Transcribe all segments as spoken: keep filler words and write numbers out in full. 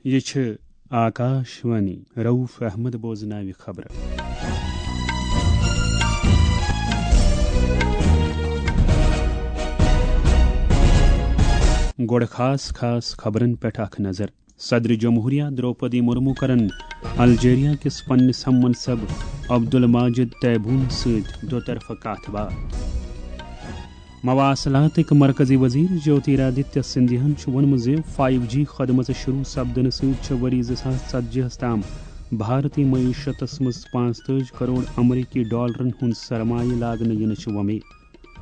یہِ چھِ آکاش وانی۔ رؤف احمد بوزناوِ خبرٕ۔ گۄڈٕ خاص خاص خبرن پٮ۪ٹھ اکھ نظر۔ صدر جمہوریہ درٛوپدی مرمو کرن الجیریا کِس پننِس ہم منصب عبدالماجد تیبون سۭتۍ دو طرفہٕ کتھ باتھ۔ مواصلاتٕکۍ مرکزی وزیر جیوتیرادتیہ سندھیاہن چھُ ووٚنمُت زِ فایو جی خدمژٕ شروع سپدنہٕ سۭتۍ چھِ ؤری زٕ ساس ژتجی ہَس تام بھارتی معیشتس منٛز پانٛژتٲجی کروڑ امریکی ڈالرن ہُنٛد سرمایہِ لاگنہٕ یِنٕچ وۄمید۔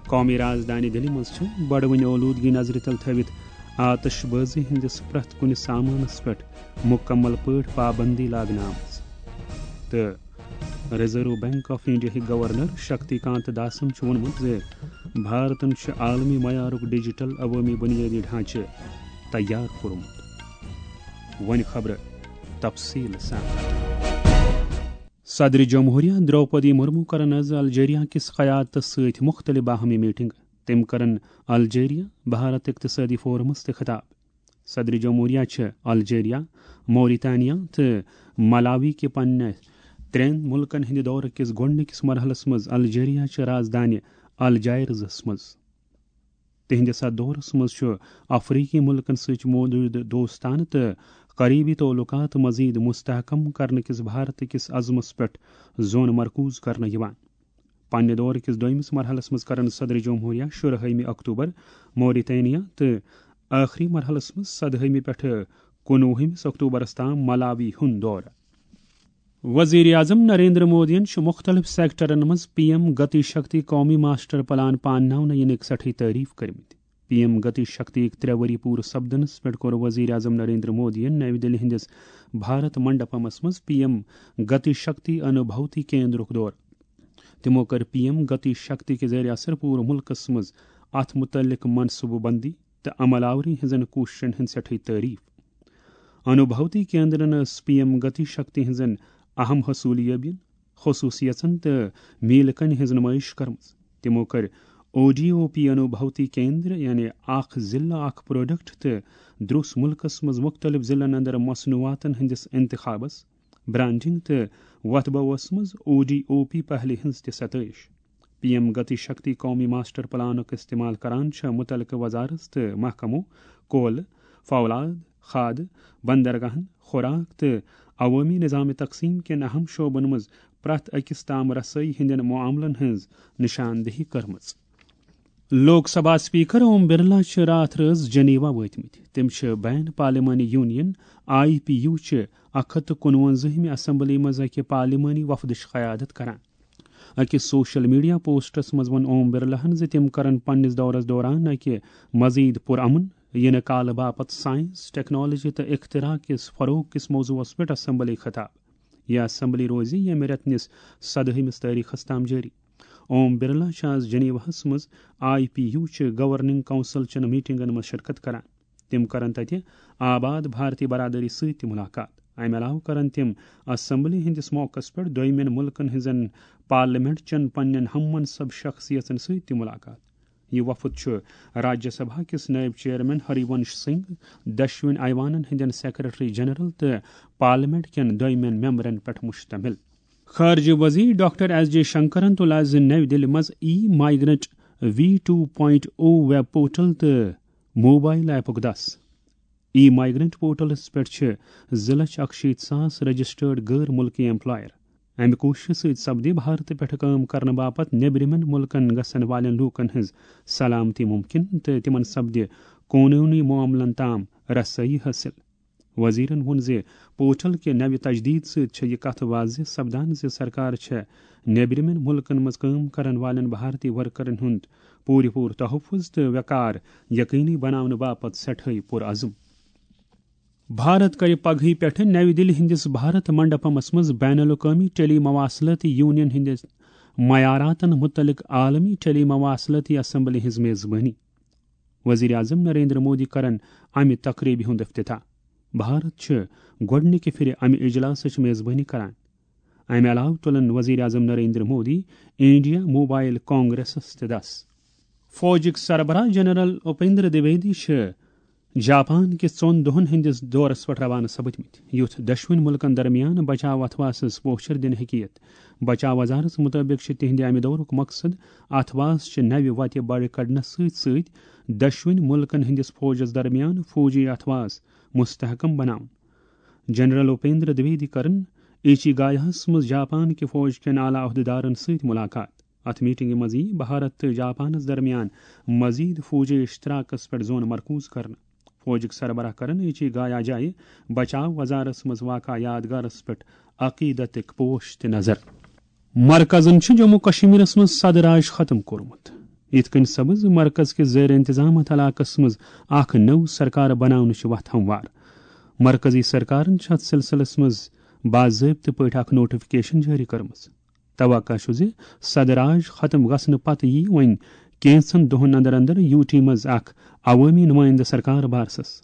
قومی رازدانہِ دِلہِ منٛز چھِ بڑوٕنۍ اولوٗدگی نظرِ تل تھٲوِتھ آتش بٲزی ہٕنٛدِس پرٛٮ۪تھ کُنہِ سامانس پٮ۪ٹھ مُکمل پٲٹھۍ پابندی لاگنہٕ آمٕژ۔ تہٕ ریزرو بینک آف انڈیاہٕکۍ گورنر شکتی کانت داسن چھُ ووٚنمُت زِ بھارتن چھُ عالمی معیارُک ڈیجیٹل عوٲمی بنیٲدی ڈھانچہٕ تیار کوٚرمُت۔ وۄنۍ خبرٕ تفصیل سان۔ صدر جمہوریہ درٛوپدی مرمو کرن از الجیریا کِس قیادتس سۭتۍ مُختٔلِف باہمی میٹنگ۔ تٔمۍ کرن الجیریا بھارت اقتصٲدی فورمس تہِ خطاب۔ صدر جمہوریہ چھِ الجیریا، موریتانیا تہٕ ملاوی کہِ پننہِ ترٛٮ۪ن مُلکن ہٕنٛدِ دورٕ کِس گۄڈٕنِکِس مرحلس منٛز الجیریا چہِ رازدانہِ الجائرزس منٛز۔ تِہنٛدِس اتھ دورس منٛز چھُ افریقی مُلکن سۭتۍ موجودٕ دوستانہٕ تہٕ قریبی تعلقات مزید مستحکم کرنہٕ کِس بھارت کِس عزمس پٮ۪ٹھ زون مرکوز کرنہٕ یِوان۔ پننہِ دورٕ کِس دوٚیمِس مرحلس منٛز کرن صدر جمہوریہ شُرہٲیمہِ اکتوبر موریتانیا تہٕ ٲخری مرحلس منٛز سدہٲیمہِ پٮ۪ٹھٕ کُنوُہمِس اکتوبرس تام ملاوی ہُنٛد دورٕ۔ وزیر اعظم نریندر مودیَن چھُ مُختٔلِف سیکٹرن منٛز پی ایم گتی شکتی قومی ماسٹر پلان پانناونہٕ یِنٕکۍ سٮ۪ٹھٕے تعریف کٔرمٕتۍ۔ پی ایم گتی شکتی یِکۍ ترٛےٚ ؤری پوٗرٕ سپدنس پٮ۪ٹھ کوٚر وزیر اعظم نریندر مودیَن نَوِ دِلہِ ہٕنٛدِس بھارت منڈپمس منٛز پی ایم گتی شکتی انوبھوتی کیندرُک دورٕ۔ تِمو کٔر پی ایم گتی شکتی کہِ ذٔریعہٕ اثر پوٗرٕ مُلکَس منٛز اَتھ مُتعلِق منصوٗبہٕ بندی تہٕ عمل آوری ہٕنٛزن کوٗششن ہٕنٛز سٮ۪ٹھٕے تعریف۔ انوبھوتی کیندرن ٲس پی ایم گتی شکتی ہٕنٛزن اہم حصوٗلیٲبین، خصوٗصیژن تہٕ میٖلہٕ کنہِ ہٕنٛز نُمٲیِش کٔرمٕژ۔ تِمو کٔر او ڈی او پی انوبھوتی کیندر، یعنی اکھ ضلع اکھ پروڈکٹ، تہٕ دروس مُلکَس منٛز مُختٔلِف ضلعن اندر مصنوعاتن ہٕنٛدِس انتخابس، برانڈنگ تہٕ وۄتھٕ بوَس منٛز او ڈی او پی پہلہِ ہٕنٛز تہِ ستٲیِش۔ پی ایم گتی شکتی قومی ماسٹر پلانُک استعمال کران چھےٚ مُتعلقہٕ وزارت تہٕ محکمو کولہٕ، فولاد، کھادٕ، بندرگاہن، خوراک تہٕ عوٲمی نظام تقسیم کٮ۪ن اہم شعبن منٛز پرٛٮ۪تھ أکِس تام رسٲیی ہٕنٛدٮ۪ن معاملن ہٕنٛز نشاندہی کٔرمٕژ۔ لوک سبھا اسپیکر اوم برلا چھِ راتھ رٲژ جنیوا وٲتمٕتۍ۔ تِم چھِ بین پارلیمانی یونین، آئی پی یو، چہِ اکھ ہتھ تہٕ کُنوَنزٲہمہِ اسمبلی منٛز اکہِ پارلیمانی وفدٕچ قیادت کران۔ أکِس سوشل میڈیا پوسٹس منٛز ووٚن اوم برلاہن زِ تِم کرن پننِس دورس دوران اکہِ مزید پرامن یِنہٕ کالہٕ باپتھ سائنس، ٹیکنالوجی تہٕ اختراع کِس فروغ کِس موضوعس پٮ۪ٹھ اسمبلی خطاب۔ یہِ اسمبلی روزِ ییٚمہِ رٮ۪تہٕ نِس سدہٲیمِس تٲریخس تام جٲری۔ اوم برلا چھِ آز جنیواہس منٛز آئی پی یو چہِ گورننگ کونسل چٮ۪ن میٹنگن منٛز شرکت کران۔ تِم کرن تتہِ آباد بھارتی برادری سۭتۍ تہِ ملاقات۔ امہِ علاوٕ کرن تِم اسمبلی ہٕنٛدِس موقعس پٮ۪ٹھ دویمٮ۪ن مُلکن ہٕنٛزن پارلیمنٹ چٮ۪ن پننٮ۪ن ہم منصب شخصیژن سۭتۍ تہِ ملاقات۔ یہِ وفد چھُ راجیہ سبھا کِس نٲیِب چیئرمین ہری ونش سنگھ، دۄشوٕنی ایوانن ہٕنٛدٮ۪ن سیکرٹری جنرل تہٕ پارلیمنٹ کٮ۪ن دویمٮ۪ن ممبرن پٮ۪ٹھ مشتمل۔ خارجہ وزیر ڈاکٹر ایس جے شنکرن تُل آز نَوِ دِلہِ منٛز e migrant V two point O web portal تہٕ موبائل ایپُک دَس۔ ای مائیگرنٹ پورٹلس پٮ۪ٹھ چھِ زٕ لچھ اکشیٖتھ ساس رجسٹرڈ غٲر مُلکی ایمپلائر۔ امہِ کوٗششہِ سۭتۍ سپدِ بھارتہٕ پٮ۪ٹھ کٲم کرنہٕ باپتھ نیبرِمٮ۪ن مُلکن گژھن والٮ۪ن لوٗکن ہٕنٛز سلامتی مُمکِن تہٕ تِمن سپدِ قونوٗنی معاملن تام رسٲیی حٲصِل۔ وزیرن ووٚن زِ پورٹل کہِ نوِ تجدید سۭتۍ چھےٚ یہِ کتھ واضح سپدان زِ سرکار چھےٚ نیبرِمٮ۪ن مُلکن منٛز کٲم کرن والٮ۪ن بھارتی ورکرن ہُنٛد پوٗرٕ پوٗرٕ تحفظ تہٕ وقار یقینی بناونہٕ باپتھ سٮ۪ٹھاے پُرعزم۔ بھارت کرِ پگہٕے پٮ۪ٹھٕ نَوِ دِلہِ ہٕنٛدِس بھارت منڈپمس منٛز بین الاقوٲمی ٹیلی مواصلٲتی یونین ہٕنٛدِس معیاراتن مُتعلق عالمی ٹیلی مواصلٲتی اسمبلی ہٕنٛز میزبٲنی۔ وزیر اعظم نریندر مودی کرن امہِ تقریبہِ ہُنٛد افتتاح۔ بھارت چھُ گۄڈٕنِکہِ پھِرِ امہِ اجلاسٕچ میزبٲنی کران۔ امہِ علاوٕ تُلن وزیر اعظم نریندر مودی انڈیا موبائل کانگریسس تہِ دَس۔ فوجٕکۍ سربراہ جنرل اپیندر دویدی چھِ جاپان کِس ژۄن دۄہن ہٕنٛدِس دورس پٮ۪ٹھ روانہٕ سپٕدمٕتۍ، یُتھ دۄشوٕنۍ مُلکن درمیان بچاو اتھواسس پوچھر دِنہٕ ہیٚکہِ یِتھ۔ بچاو وزارتس مُطٲبِق چھِ تِہنٛدِ امہِ دورُک مقصد اتھواس چہِ نوِ وتہِ بڑِ کڑنس سۭتۍ سۭتۍ دۄشوٕنۍ مُلکن ہٕنٛدِس فوجس درمیان فوجی اتھواس مستحکم بناوُن۔ جنرل اپیندر دویدی کرن ایچی گایاہس منٛز جاپان کہِ فوج کٮ۪ن اعلیٰ عہدیدارن سۭتۍ ملاقات۔ اتھ میٹنگہِ منٛز یِیہِ بھارت تہٕ جاپانس درمیان مزید فوجی اشتراکس پٮ۪ٹھ زون مرکوز کرنہٕ۔ فوجٕکۍ سربراہ کرن ایچی گایا جایہِ بچاو وزارس منٛز واقع یادگارس پٮ۪ٹھ عقیدتٕکۍ پوش تہِ نظر۔ مرکزن چھُ جموں کشمیرس منٛز صدر راج ختم کوٚرمُت، یِتھ کٔنۍ سپُز مرکز کِس زیر انتظامات علاقس منٛز اکھ نٔو سرکار بناونٕچ وتھ ہموار۔ مرکزی سرکارن چھِ اتھ سلسلس منٛز باضٲبطہٕ پٲٹھۍ اکھ نوٹیفکیشن جٲری کٔرمٕژ۔ توقع چھُ زِ صدر راج ختم گژھنہٕ پتہٕ یِیہِ وۄنۍ کینٛژن دۄہن اندر اندر یوٗ ٹی منٛز اکھ عوٲمی نُمٲیندٕ سرکار بارسس۔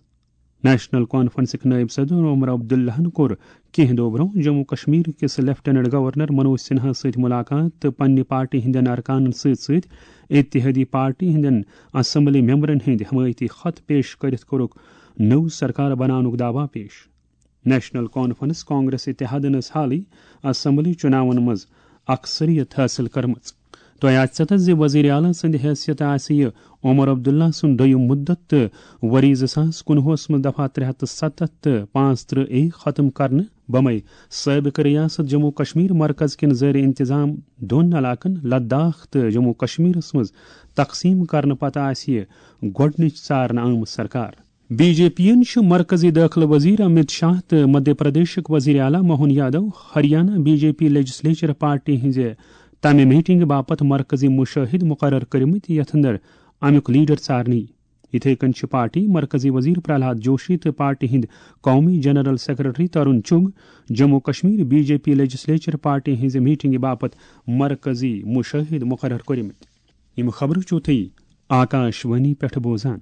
نیشنل کانفرنسٕکۍ نٲیِب صدر عمر عبداللہن کوٚر کینٛہہ دۄہ برٛونٛہہ جموں کشمیر کِس لیفٹیننٹ گورنر منوج سنہاہس سۭتۍ ملاقات تہٕ پننہِ پارٹی ہٕنٛدٮ۪ن ارکانن سۭتۍ سۭتۍ اتحادی پارٹی ہٕنٛدٮ۪ن اسمبلی ممبرن ہٕنٛدۍ حمایتی خط پیش کٔرِتھ کوٚرُکھ نٔو سرکار بناونُک دعویٰ پیش۔ نیشنل کانفرنس کانگریس اتحادن ٲس حالٕے اسمبلی چُناون منٛز اکثریت حٲصِل کٔرمٕژ۔ تۄہہِ آسہِ ژےٚ تتھ زِ وزیر اعلیٰ سٕنٛدِ حیثیت آسہِ یہِ عمر عبداللہ سُنٛد دوٚیُم مُدت تہٕ ؤری زٕ ساس کُنوُہس منٛز دفعہ ترٛےٚ ہتھ تہٕ ستتھ تہٕ پانٛژترٕہ اے ختم کرنہٕ بمے سٲبقہٕ ریاست جموں کشمیر مرکز کٮ۪ن زیر انتظام دۄن علاقن لداخ تہٕ جموں کشمیرس منٛز تقسیٖم کرنہٕ پتہٕ آسہِ یہِ گۄڈٕنِچ ژارنہٕ آمٕژ سرکار۔ بی جے پی یَن چھُ مرکزی دٲخلہٕ وزیر امیت شاہ تہٕ مدھیہ پردیشُک وزیر اعلیٰ Mohan Yadav Haryana B J P legislature party ہٕنٛزِ تَمہِ میٹنگہِ باپتھ مرکزی مُشٲہِد مُقرر کٔرمٕتۍ، یَتھ اندر امیُک لیڈر ژارنہٕ یِیہِ۔ یِتھے کٔنۍ چھِ پارٹی مرکزی وزیر پرہلاد جوشی تہٕ پارٹی ہٕنٛدۍ قومی general secretary Tarun Chugh Jammu Kashmir B J P legislature party ہٕنٛزِ میٹنگہِ باپتھ مرکزی مُشٲہِد مُقرر کٔرمٕتۍ۔ یِم خبرٕ چھِو تُہۍ آکاش وانی پٮ۪ٹھ بوزان۔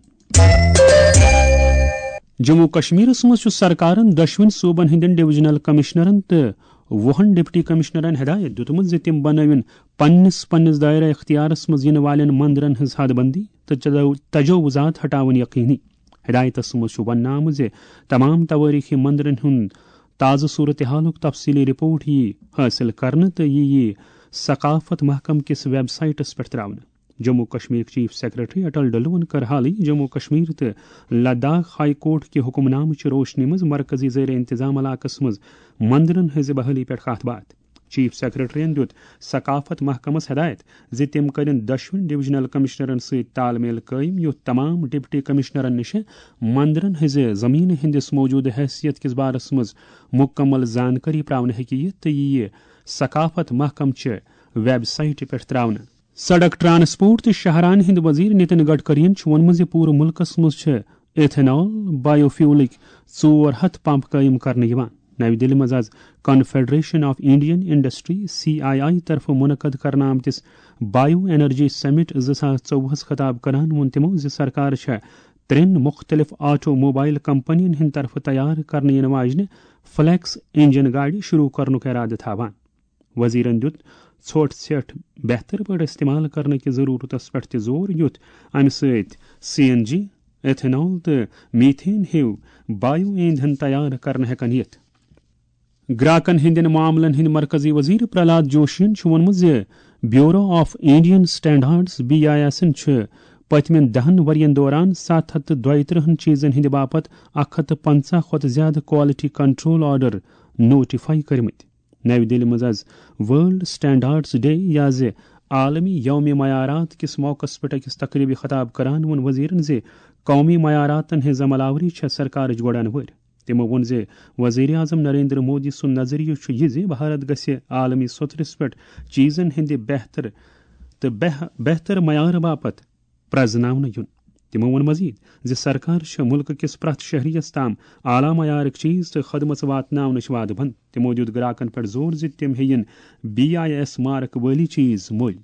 جموں کشمیرس منٛز چھُ سرکارن دۄشوٕنۍ صوبن ہٕنٛدٮ۪ن ڈویژنل کمشنرن تہٕ وُہن ڈپٹی کمشنرن ہدایت دِیُتمُت زِ تِم بنٲوِن پننِس پننِس دائرہ اختیارس منٛز یِنہٕ والٮ۪ن مندرن ہٕنٛز حد بندی تہٕ تجو-، تجاوزات ہٹاوٕنۍ یقینی۔ ہدایتس منٛز چھُ وننہٕ آمُت زِ تمام توٲریخی مندرن ہُنٛد تازٕ صورتحالُک تفصیلی رپورٹ یِیہِ حٲصِل کرنہٕ تہٕ یہِ یِیہِ ثقافت محکمہٕ کِس ویب سائٹس پٮ۪ٹھ ترٛاونہٕ۔ جموں کشمیرٕکۍ چیف سیکرٹری اٹل ڈلوَن کٔر حالٕے جموں کشمیر تہٕ لداخ ہائی کورٹ کہِ حکم نامہٕ چہِ روشنی منٛز مرکزی زیر انتظام علاقس منٛز مندرن ہٕنٛزِ بحالی پٮ۪ٹھ کتھ باتھ۔ چیف سیکرٹریَن دیُت ثقافت محکمس ہدایت زِ تِم کٔرِن دۄشوٕنۍ ڈویژنل کمشنرن سۭتۍ تال میل قٲیِم، یُتھ تمام ڈپٹی کمشنرن نِش مندرن ہٕنٛزِ زمینہِ ہٕنٛدِس موجودٕ حیثیت کِس بارس منٛز مکمل زانکٲری پراونہٕ ہیٚکہِ یِتھ تہٕ یہِ یِیہِ ثقافت محکمہٕ چہِ ویب سائٹہِ پٮ۪ٹھ ترٛاونہٕ۔ سڑک ٹرانسپورٹ تہٕ شاہراہن ہٕنٛدۍ وزیر نتن گڈکرین چھُ ووٚنمُت زِ پوٗرٕ مُلکس منٛز چھِ ایتھنال بایو فیولٕکۍ ژور ہتھ پمپ قٲیِم کرنہٕ یِوان۔ نَوِ دِلہِ منٛز آز confederation of Indian industry, C I I, طرفہٕ منعقد کرنہٕ آمتِس بایو انرجی سمٹ زٕ ساس ژوٚوُہس خطاب کران ووٚن تِمو زِ سرکار چھےٚ ترٛٮ۪ن مُختٔلِف آٹو موبائل کمپنین ہٕنٛدِ طرفہٕ تیار کرنہٕ یِنہٕ واجنہِ فلیکس انجن گاڑِ شروع کرنُک ارادٕ تھاوان۔ وزیرن دیُت ژھۄٹھ ژھٮ۪ٹھ بہتر پٲٹھۍ استعمال کرنہٕ کہِ ضرورتس پٮ۪ٹھ تہِ زور، یُتھ امہِ سۭتۍ سی این جی، ایتھنال تہٕ میتھین ہیو بایو ایندھن تیار کرنہٕ ہٮ۪کن یِتھ۔ گراکن ہٕنٛدٮ۪ن معاملن ہٕنٛدۍ مرکزی وزیر پرہلاد جوشین چھُ ووٚنمُت زِ bureau of Indian standards, B I ایسن، چھِ پٔتمٮ۪ن دَہن ؤرین دوران ستھ ہتھ تہٕ دۄیہِ ترٕہن چیزن ہٕنٛدِ باپتھ اکھ ہتھ تہٕ پنژاہ کھۄتہٕ زیادٕ کوالٹی کنٹرول آرڈر نوٹیفائی کٔرمٕتۍ۔ نَوِ دِلہِ منٛز آز ورلڈ سٹینڈرڈز ڈے یا زِ عالمی یوم معیارات کِس موقعس پٮ۪ٹھ أکِس تقریبہِ خطاب کران ووٚن وزیرن زِ قومی معیاراتن ہٕنٛز عمل آوری چھےٚ سرکارٕچ گۄڈن وٲرۍ۔ تِمو ووٚن زِ وزیر اعظم نریندر مودی سُنٛد نظریہٕ چھُ یہِ زِ بھارت گژھِ عالمی سطحس پٮ۪ٹھ چیزن ہٕنٛدِ بہتر تہٕ بہ-، بہتر معیار باپتھ پرزناونہٕ یُن۔ تِمو ووٚن مزید زِ سرکار چھےٚ مُلکہٕ کِس پرٛٮ۪تھ شہریَس تام اعلیٰ معیارٕک چیز تہٕ خدمژ واتناونٕچ وعدٕ بنٛد۔ تِمو دیُت گراکن پٮ۪ٹھ زور زِ تِم ہیٚیِن بی آئی ایس مارک وٲلی چیز مٔلۍ۔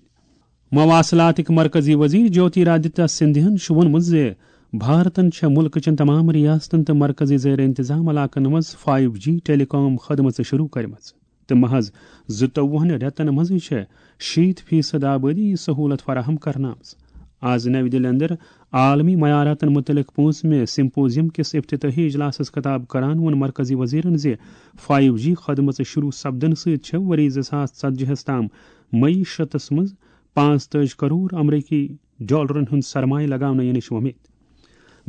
مواصلاتٕکۍ مرکزی وزیر جیوتی رادتیہ سندھیاہن چھُ ووٚنمُت زِ بھارتن چھےٚ مُلکہٕ چٮ۪ن تمام ریاستن تہٕ مرکزی زیر انتظام علاقن منٛز فائیو جی ٹیلی کام خدمژٕ شروع کٔرمٕژ۔ تہٕ محض زٕتووُہن رٮ۪تن منٛزٕے چھےٚ شیٖتھ فیصد آبٲدی یہِ سہوٗلت فراہم کرنہٕ آمٕژ۔ آز نَوِ دِلہِ اندر عالمی معیاراتن متعلق پانٛژمہِ سمپوزیم کِس افتتاحی اجلاسس خطاب کران ووٚن مرکزی وزیرن زِ فایو جی خدمژٕ شروع سپدنہٕ سۭتۍ چھےٚ ؤری زٕ ساس ژتجی ہَس تام معیشتس منٛز پانٛژتٲجی کرور امریکی ڈالرن ہُنٛد سرمایہ لگاونہٕ یِنٕچ وۄمید۔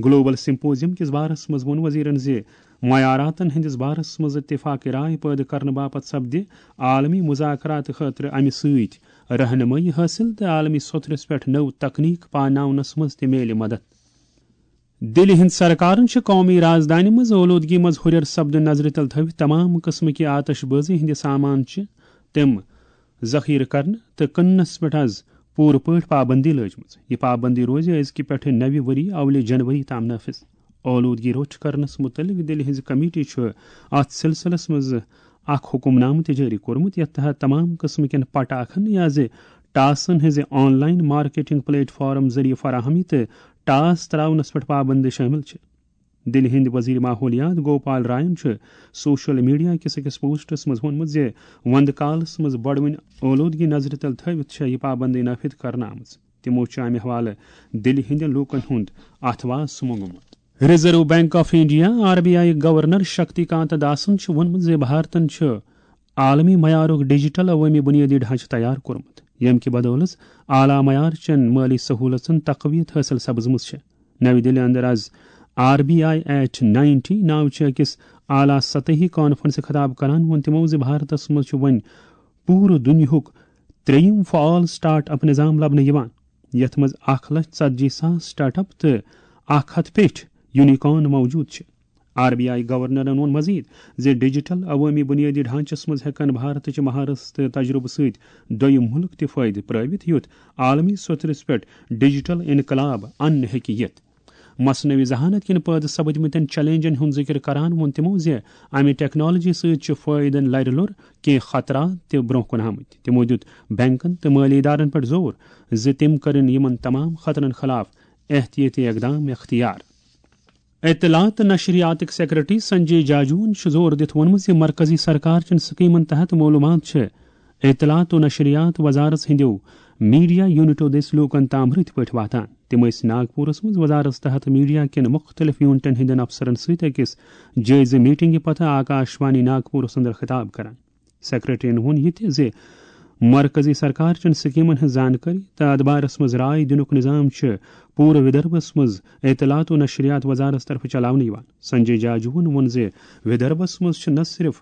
گلوبل سمپوزیم کِس بارس منٛز ووٚن وزیرن زِ معیاراتن ہٕنٛدِس بارس منٛز اتفاق رائے پٲدٕ کرنہٕ باپتھ سپدِ عالمی مذاکرات خٲطرٕ امہِ سۭتۍ رہنمٲیی حٲصِل تہٕ عالمی سطحس پٮ۪ٹھ نٔو تکنیک پاناونس منٛز تہِ میلہِ مدد۔ دِلہِ ہٕنٛز سرکارن چھِ قومی رازدانہِ منٛز اولوٗدگی منٛز ہُرٮ۪ر سپدُن نظرِ تل تھٲوِتھ تمام قٕسمٕکہِ آتش بٲزی ہٕنٛدِ سامان چہِ تِم ذخیرٕ کرنہٕ تہٕ کٕننس پٮ۪ٹھ از پوٗرٕ پٲٹھۍ پابندی لٲجمٕژ۔ یہِ پابندی روزِ أزکہِ پٮ۪ٹھٕ نَوِ ؤری اولہِ جنوری تام نافذ۔ اولوٗدگی روٚچھ کرنس مُتعلق دِلہِ ہٕنٛزِ کمیٹی چھُ اتھ سلسلس منٛز اکھ حکم نامہٕ تہِ جٲری کوٚرمُت، یتھ تحت تمام قٕسمہٕ کٮ۪ن پٹاخن یا زِ ٹاسن ہٕنٛزِ آن لاین مارکیٹنگ پلیٹ فارم ذٔریعہٕ فراہمی تہٕ ٹاس تراونس پٮ۪ٹھ پابندی شٲمِل چھِ۔ دِلہِ ہٕنٛدۍ وزیر ماحولیات گوپال راین چھُ سوشل میڈیا کِس أکِس پوسٹس منٛز ووٚنمُت زِ وندٕ کالس منٛز بڑوٕنۍ اولوٗدگی نظرِ تل تھٲوِتھ چھےٚ یہِ پابندی نافذ کرنہٕ آمٕژ۔ تِمو چھُ امہِ حوالہٕ دِلہِ ہٕنٛدٮ۪ن لوٗکن ہُنٛد اتھواس مونگمُت۔ Reserve bank of India, R B I governor Shaktikanta داسن چھُ ووٚنمُت زِ بھارتن چھُ عالمی معیارُک ڈیجیٹل عوٲمی بنیٲدی ڈھانچہٕ تیار کوٚرمُت، ییٚمہِ کہِ بدولہٕ اعلیٰ معیار چٮ۪ن مٲلی سہوٗلژن تقویت حٲصِل سپٕزمٕژ چھےٚ۔ نَوِ دِلہِ اندر از R B I eight ninety ناوٕ چہِ أکِس اعلیٰ سطحی کانفرنسہِ خطاب کران ووٚن تِمو زِ بھارتس منٛز چھُ وۄنۍ پوٗرٕ دُنیاہُک ترٛیٚیِم فعال سٹارٹ اپ نظام لبنہٕ یِوان، یتھ منٛز اکھ لچھ ژتجی ساس سٹارٹ اپ تہٕ اکھ ہتھ پیٚٹھۍ یونیکارن موجود چھِ۔ آر بی آئی گورنرن ووٚن مزید زِ ڈیجیٹل عوٲمی بنیٲدی ڈھانچس منٛز ہٮ۪کن بھارتٕچ مہارت تہٕ تجربہٕ سۭتۍ دوٚیِم مُلک تہِ فٲیدٕ پرٲوِتھ، یُتھ عالمی سطحس پٮ۪ٹھ ڈیجیٹل انقلاب اننہٕ ہیٚکہِ یِتھ۔ مصنوعی ذہانت کِنۍ پٲدٕ سپدمٕتٮ۪ن چیلنجن ہُنٛد ذِکر کران ووٚن تِمو زِ امہِ ٹیکنالوجی سۭتۍ چھِ فٲیدن لرِ لوٚر، کینٛہہ خطرات تہِ برونٛہہ کُن آمٕتۍ۔ تِمو دیُت بینکن تہٕ مٲلی ادارن پٮ۪ٹھ زور زِ تِم کرن یِمن تمام خطرن خلاف احتیاطی اقدام اختیار۔ اطلاعات تہٕ نشریاتٕکۍ سیکرٹری سنجے جاجوہن چھُ زور دِتھ ووٚنمُت زِ مرکزی سرکار چٮ۪ن سکیمن تحت معلوٗمات چھِ اطلاعات و نشریات وزارت ہٕنٛدیو میڈیا یونٹو دٔسۍ لوٗکن تام رٕتۍ پٲٹھۍ واتان۔ تِم ٲسۍ ناگپورس منٛز وزارت تحت میڈیا کٮ۪ن مُختٔلِف یونٹن ہٕنٛدٮ۪ن افسرن سۭتۍ أکِس جٲیزٕ میٹنگہِ پتہٕ آکاشوانی ناگپورس اندر خطاب کران۔ سیکرٹریَن ووٚن یہِ تہِ زِ مرکزی سرکار چٮ۪ن سکیمن ہٕنٛز زانکٲری تہٕ اتھ بارس منٛز راے دِنُک نظام چھُ پوٗرٕ ودربھس منٛز اطلاعات و نشریات وزارت طرفہٕ چلاونہٕ یِوان۔ سنجے جاجوہن ووٚن زِ ودربھس منٛز چھِ نہ صرف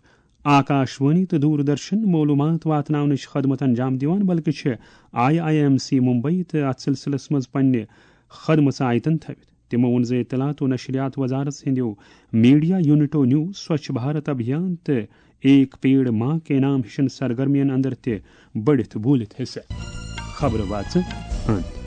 آکاشوانی تہٕ دوردرشن معلوٗمات واتناونٕچ خدمت انجام دِوان، بلکہِ چھِ I I M C Mumbai تہٕ اتھ سلسلس منٛز پننہِ خدمژ آیتن تھٲوِتھ۔ تِمو ووٚن زِ اطلاعات و نشریات وزارت ہٕنٛدیو میڈیا یونٹو نیوٗ سوچھ بھارت ابھیان تہٕ ایک پیڑ ماں کے نام ہِشن سرگرمین اندر تہِ بٔڑِتھ بوٗلِتھ حصہٕ۔ خبرٕ واژٕ ہند۔